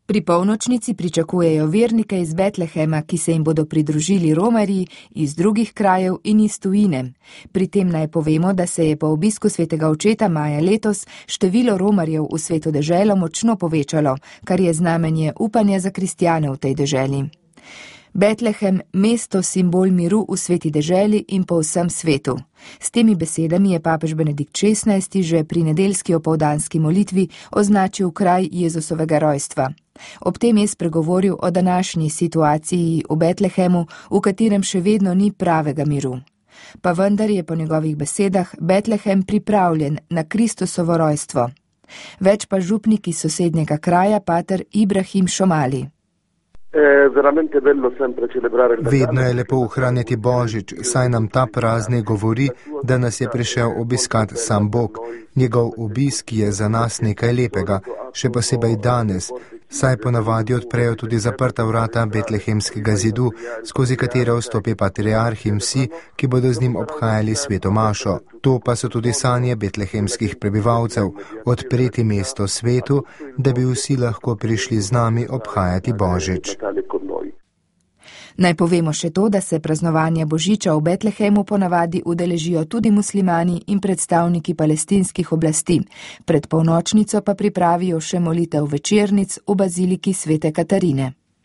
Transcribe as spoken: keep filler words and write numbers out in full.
Pri polnočnici pričakujejo vernike iz Betlehema, ki se jim bodo pridružili romarji iz drugih krajev in iz tujine. Pri tem naj povemo, da se je po obisku svetega očeta maja letos število romarjev v sveto deželo močno povečalo, kar je znamenje upanja za kristjane v tej deželi. Betlehem, mesto simbol miru v sveti deželi in po vsem svetu. S temi besedami je papež Benedikt šestnajsti že pri nedeljski opoldanski molitvi označil kraj Jezusovega rojstva. Ob tem je spregovoril o današnji situaciji v Betlehemu, v katerem še vedno ni pravega miru. Pa vendar je po njegovih besedah Betlehem pripravljen na Kristusovo rojstvo. Več pa župnik iz sosednjega kraja, pater Ibrahim Šomali. Vedno je lepo ohranjati Božič, saj nam ta praznik govori, da nas je prišel obiskat sam Bog. Njegov obisk je za nas nekaj lepega, še posebej danes, saj ponavadi odprejo tudi zaprta vrata betlehemskega zidu, skozi katero vstopi patriarh in vsi, ki bodo z njim obhajali sveto mašo. To pa so tudi sanje betlehemskih prebivalcev, odpreti mesto svetu, da bi vsi lahko prišli z nami obhajati Božič. Naj povemo še to, da se praznovanja Božiča v Betlehemu ponavadi udeležijo tudi muslimani in predstavniki palestinskih oblasti. Pred polnočnico pa pripravijo še molitev večernic v baziliki svete Katarine.